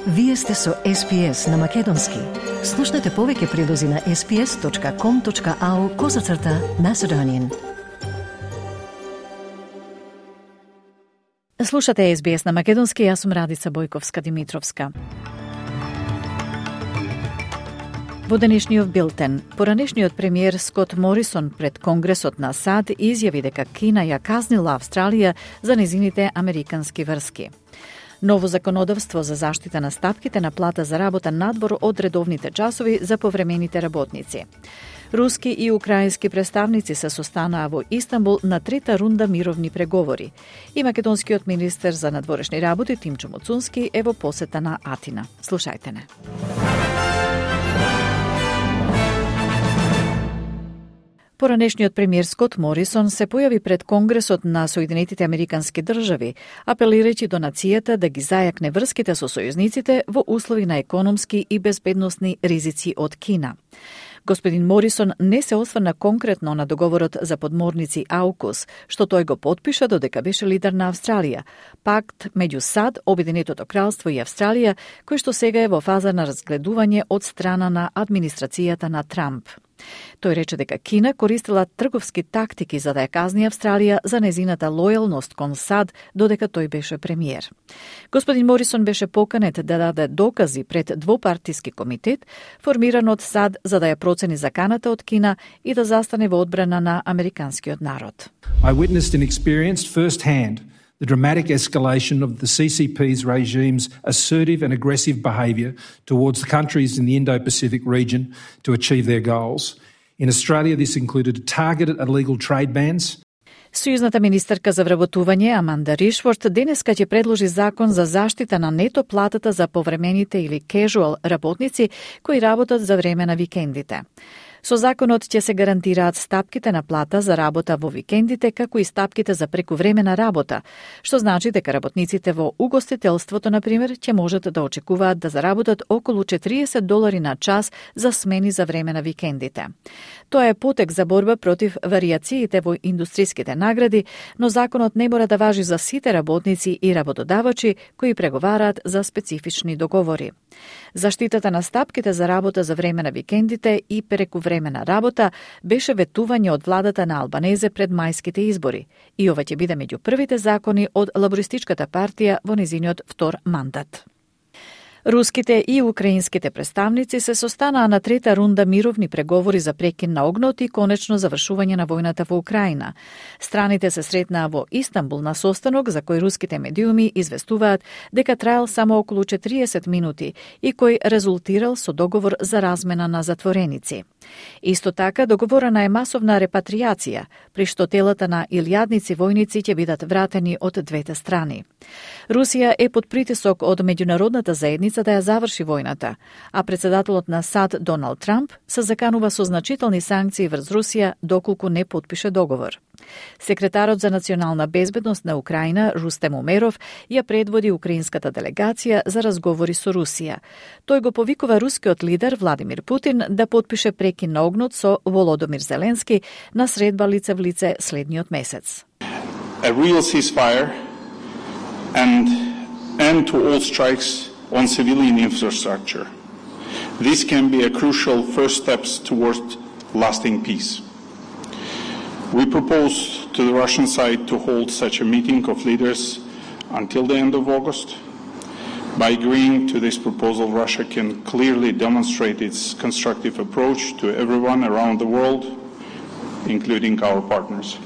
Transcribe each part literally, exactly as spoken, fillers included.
Вие сте со Ес Би Ес на Македонски. Слушнете повеќе прилози на ес би ес точка ком точка ау козацрта Macedonian. Слушате Ес Би Ес на Македонски, јас сум Радица Бојковска-Димитровска. Во денешниот билтен, поранешниот премиер Скот Морисон пред Конгресот на САД изјави дека Кина ја казнила Австралија за незините американски врски. Ново законодавство за заштита на стапките на плата за работа надвор од редовните часови за повремените работници. Руски и украински представници се состанаа во Истанбул на трета рунда мировни преговори. И македонскиот министер за надворешни работи Тимчо Муцунски е во посета на Атина. Слушајте не. Поранешниот премиер Скот Морисон се појави пред Конгресот на Соединетите Американски држави, апелирајќи до нацијата да ги зајакне врските со сојузниците во услови на економски и безбедносни ризици од Кина. Господин Морисон не се осврна конкретно на договорот за подморници Аукус, што тој го потпиша додека беше лидер на Австралија, пакт меѓу САД, Обединетото кралство и Австралија, кој што сега е во фаза на разгледување од страна на администрацијата на Трамп. Тој рече дека Кина користила трговски тактики за да ја казни Австралија за незината лојалност кон САД додека тој беше премиер. Господин Морисон беше поканет да даде докази пред двопартиски комитет, формиран од САД за да ја процени заканата од Кина и да застане во одбрана на американскиот народ. I witnessed and experienced firsthand the dramatic escalation of the C C P's regime's assertive and aggressive behaviour towards the countries in the Indo-Pacific region to achieve their goals. In Australia, this included targeted illegal trade bans. Сојузната министерка за вработување Аманда Ришворт денеска ќе предложи закон за заштита на нето платата за повремените или casual работници кои работат за време на викендите. Со законот ќе се гарантираат стапките на плата за работа во викендите, како и стапките за прекувремена работа, што значи дека работниците во угостителството, например, ќе можат да очекуваат да заработат околу четириесет долари на час за смени за време на викендите. Тоа е потек за борба против варијациите во индустриските награди, но законот не мора да важи за сите работници и работодавачи кои преговараат за специфични договори. Заштитата на стапките за работа за време на викендите и прекувремена работа беше ветување од владата на Албанезе пред мајските избори и ова ќе биде меѓу првите закони од Лабористичката партија во незиниот втор мандат. Руските и украинските представници се состанаа на трета рунда мировни преговори за прекин на огнот и конечно завршување на војната во Украина. Страните се сретнаа во Истанбул на состанок за кој руските медиуми известуваат дека траел само околу четириесет минути и кој резултирал со договор за размена на затвореници. Исто така договорена е масовна репатријација, при што телата на илјадници војници ќе бидат вратени од двете страни. Русија е под притисок од меѓународната заедница да ја заврши војната, а председателот на САД Доналд Трамп се заканува со значителни санкции врз Русија доколку не потпише договор. Секретарот за национална безбедност на Украина Рустем Умеров ја предводи украинската делегација за разговори со Русија. Тој го повикува рускиот лидер Владимир Путин да потпише прекин на огнот со Володомир Зеленски на средба лице в лице следниот месец. A real ceasefire and end to all strikes on civilian infrastructure. This can be a crucial first steps towards lasting peace. We propose to the Russian side to hold such a meeting of leaders until the end of August. By agreeing to this proposal, Russia can clearly demonstrate its constructive approach to everyone around the world, including our partners.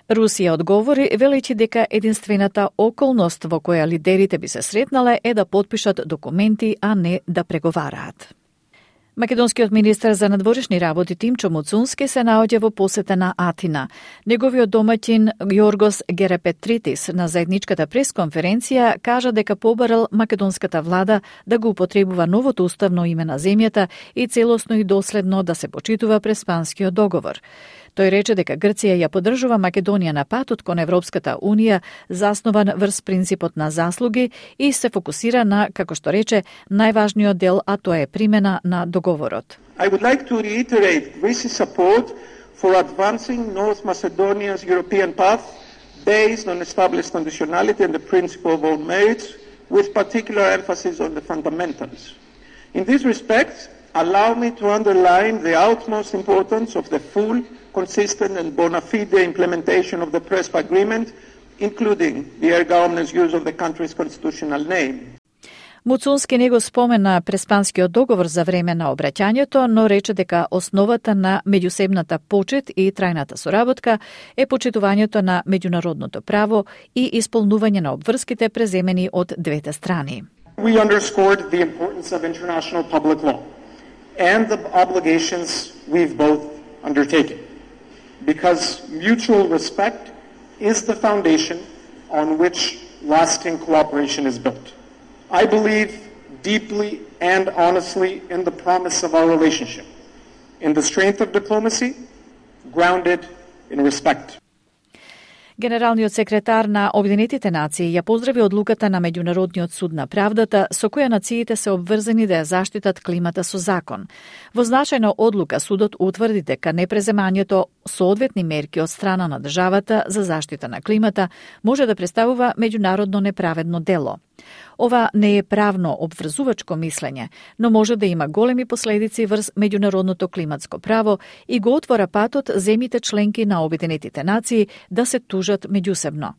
Русија одговори велејќи дека единствената околност во која лидерите би се сретнале е да потпишат документи, а не да преговараат. Македонскиот министер за надворешни работи Тимчо Муцунски се наоѓа во посета на Атина. Неговиот домаќин Јоргос Герапетритис на заедничката пресконференција кажа дека побарал македонската влада да го употребува новото уставно име на земјата и целосно и доследно да се почитува Преспанскиот договор. Тој рече дека Грција ја поддржува Македонија на патот кон Европската Унија, заснован врз принципот на заслуги и се фокусира на, како што рече, најважниот дел, а тоа е примена на договорот. I would like to reiterate Greece's support for advancing North Macedonia's European path based on established conditionality and the principle of own merits, with particular emphasis on the fundamentals. In this respect, allow me to underline the utmost importance of the full, consistent and bona fide implementation of the Prespa Agreement, including the erga omnes use of the country's constitutional name. Муцунски не го спомена Преспанскиот договор за време на обраќањето, но рече дека основата на меѓусебната почит и трајната соработка е почитувањето на меѓународното право и исполнување на обврските преземени од двете страни. We underscored the importance of international public law and the obligations we've both undertaken, because mutual respect is the foundation on which lasting cooperation is built. I believe deeply and honestly in the promise of our relationship, in the strength of diplomacy, grounded in respect. Генералниот секретар на Обединетите нации ја поздрави одлуката на Меѓународниот суд на правдата со која нациите се обврзани да ја заштитат климата со закон. Во значајна одлука судот утврди дека непреземањето соодветни мерки од страна на државата за заштита на климата може да представува меѓународно неправедно дело. Ова не е правно обврзувачко мислење, но може да има големи последици врз меѓународното климатско право и го отвора патот земјите членки на Обединетите нации да се тужат меѓусебно.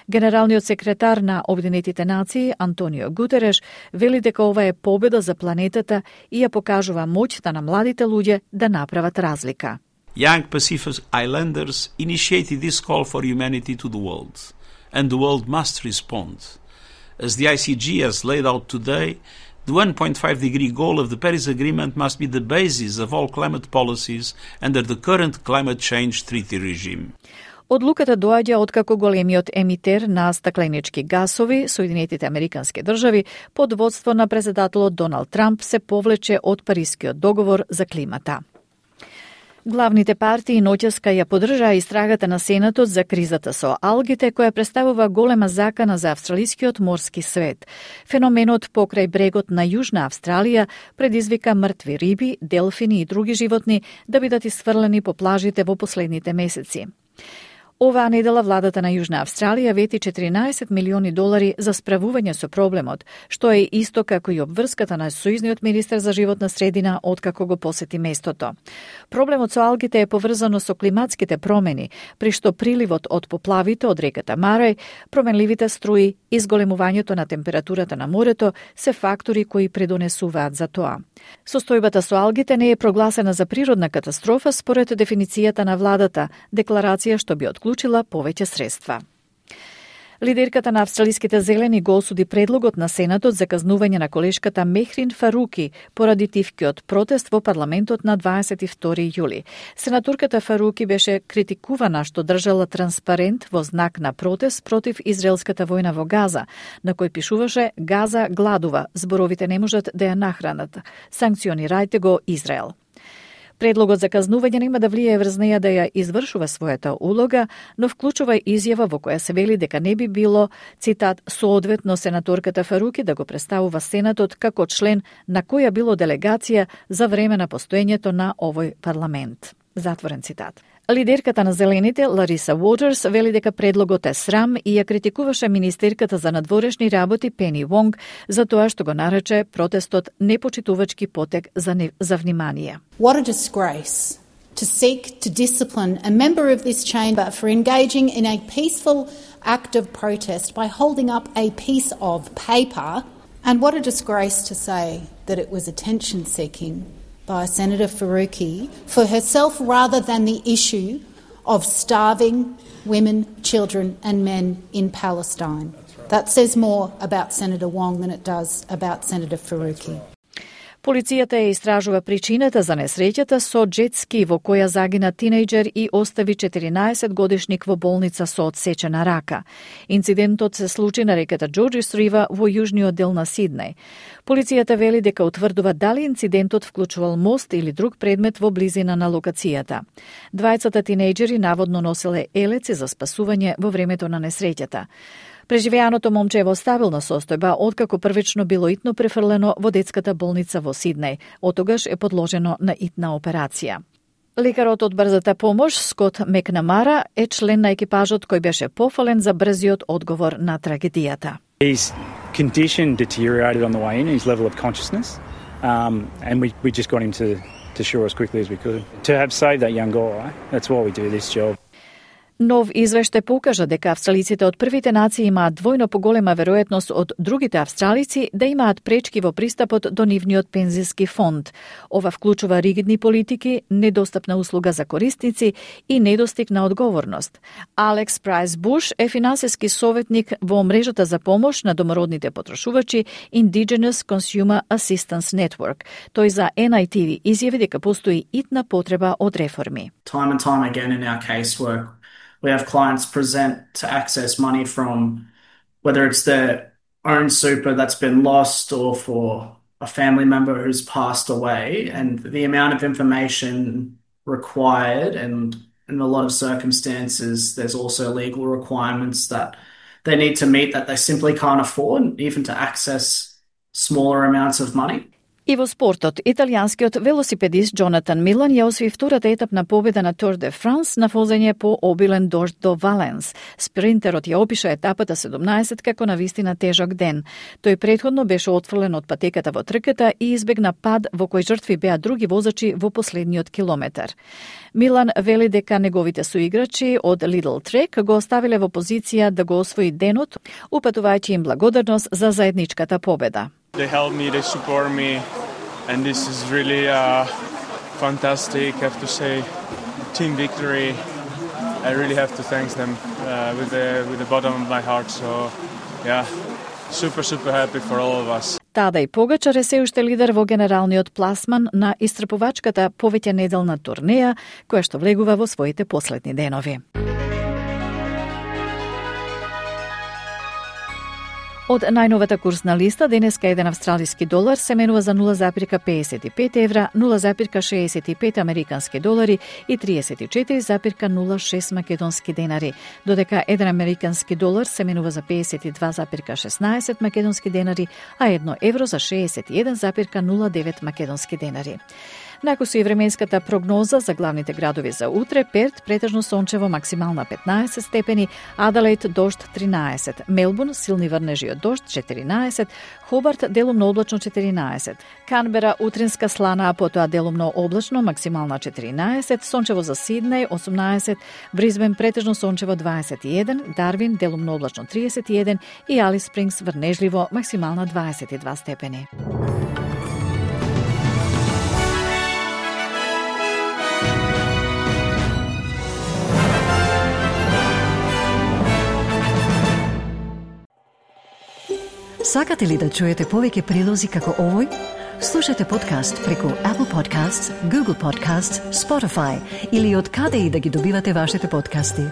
Генералниот секретар на Обединетите нации Антонио Гутереш вели дека ова е победа за планетата и ја покажува моќта на младите луѓе да направат разлика. Young Pacific Islanders initiated this call for humanity to the world, and the world must respond. As the I C G has laid out today, the one point five degree goal of the Paris Agreement must be the basis of all climate policies under the current climate change treaty regime. Одлуката доаѓа откако големиот емитер на стакленички гасови, Соединетите Американски држави, под водство на председателот Доналд Трамп се повлече од Парискиот договор за климата. Главните партии ноќеска ја поддржаа истрагата на Сенатот за кризата со алгите, која представува голема закана за австралискиот морски свет. Феноменот покрај брегот на Јужна Австралија предизвика мртви риби, делфини и други животни да бидат исфрлени по плажите во последните месеци. Оваа недела владата на Јужна Австралија вети четиринаесет милиони долари за справување со проблемот, што е исто како и обврската на сојузниот министер за животна средина откако го посети местото. Проблемот со алгите е поврзано со климатските промени, при што приливот од поплавите од реката Марај, променливите струи и зголемувањето на температурата на морето се фактори кои предонесуваат за тоа. Состојбата со алгите не е прогласена за природна катастрофа според дефиницијата на владата, декларација што би отклучила повеќе средства. Лидерката на австралиските зелени го осуди предлогот на Сенатот за казнување на колешката Мехрин Фаруки поради тивкиот протест во парламентот на дваесет и втори јули. Сенаторката Фаруки беше критикувана што држала транспарент во знак на протест против израелската војна во Газа, на кој пишуваше «Газа гладува, зборовите не можат да ја нахранат. Санкционирајте го Израел». Предлогот за казнување нема да влијае врз неја да ја извршува својата улога, но вклучува изјава во која се вели дека не би било, цитат, соодветно сенаторката Фаруки да го представува Сенатот како член на која било делегација за време на постоењето на овој парламент. Затворен цитат. Лидерката на Зелените, Лариса Уотерс, вели дека предлогот е срам и ја критикуваше министерката за надворешни работи Пени Вонг за тоа што го нарече протестот непочитувачки потек за, не, за внимание. What a disgrace to seek to discipline a member of this chamber for engaging in a peaceful act of protest by holding up a piece of paper, and what a disgrace to say that it was attention-seeking by Senator Faruqi for herself rather than the issue of starving women, children and men in Palestine. Right. That says more about Senator Wong than it does about Senator Faruqi. Right. Полицијата ја истражува причината за несреќата со джетски во која загина тинејџер и остави четиринаесет годишник во болница со одсечена рака. Инцидентот се случи на реката Джорџис Рива во јужниот дел на Сиднеј. Полицијата вели дека утврдува дали инцидентот вклучувал мост или друг предмет во близина на локацијата. Двајцата тинејџери наводно носеле елеци за спасување во времето на несреќата. Преживеаното момче е во стабилна состојба откако првично било итно префрлено во детската болница во Сиднеј, оттогаш е подложено на итна операција. Лекарот од брзата помош, Скот Мекнамара, е член на екипажот кој беше пофален за брзиот одговор на трагедијата. He's condition deteriorated on the way in, his level of consciousness, um, and we, we just got him to, to shore as quickly as we could. To have saved that young guy, that's why we do this job. Нов извештај покажа дека австралиците од првите нации имаат двојно поголема веројатност од другите австралици да имаат пречки во пристапот до нивниот пензиски фонд. Ова вклучува ригидни политики, недостапна услуга за корисници и недостиг на одговорност. Алекс Прайс Буш е финансиски советник во мрежата за помош на домородните потрошувачи Indigenous Consumer Assistance Network. Тој за Ен Ај Ти Ви изјави дека постои итна потреба од реформи. Time and time again in our casework, we have clients present to access money from whether it's their own super that's been lost or for a family member who's passed away, and the amount of information required, and in a lot of circumstances there's also legal requirements that they need to meet that they simply can't afford, even to access smaller amounts of money. И во спортот, италијанскиот велосипедист Джонатан Милан ја освои втората етапна победа на Тур де Франс на возење по обилен дожд до Валенс. Спринтерот ја опиша етапата седумнаесет како навистина тежок ден. Тој претходно беше отфрлен од патеката во трката и избегна пад во кој жртви беа други возачи во последниот километар. Милан вели дека неговите соиграчи од Lidl Trek го оставиле во позиција да го освои денот, упатувајќи им благодарност за заедничката победа. They help me, they support me, and this is really uh, fantastic. I have to say, team victory. I really have to thank them uh, with the with the bottom of my heart. So, yeah, super super happy for all of us. Тадеј Погачар е се уште лидер во генералниот пласман на истрпувачката повеќе неделна турнеја, која што влегува во своите последни денови. Од најновата курсна листа, денеска еден австралиски долар се менува за нула запирка педесет и пет евра, нула запирка шеесет и пет американски долари и триесет и четири запирка нула шест македонски денари, додека еден американски долар се менува за педесет и два запирка шеснаесет македонски денари, а едно евро за шеесет и еден запирка нула девет македонски денари. Накусу и временската прогноза за главните градови за утре: Перт претежно сончево, максимална петнаесет степени, Аделаид дожд тринаесет, Мелбурн силни врнежи од дожд четиринаесет, Хобарт делумно облачно четиринаесет, Канбера утринска слана, а потоа делумно облачно, максимална четиринаесет, сончево за Сиднеј осумнаесет, Бризбен претежно сончево дваесет и еден, Дарвин делумно облачно триесет и еден и Алис Спрингс врнежливо, максимална дваесет и два степени. Сакате ли да чуете повеќе прилози како овој? Слушате подкаст преку Apple Podcasts, Google Podcasts, Spotify или од каде и да ги добивате вашите подкасти.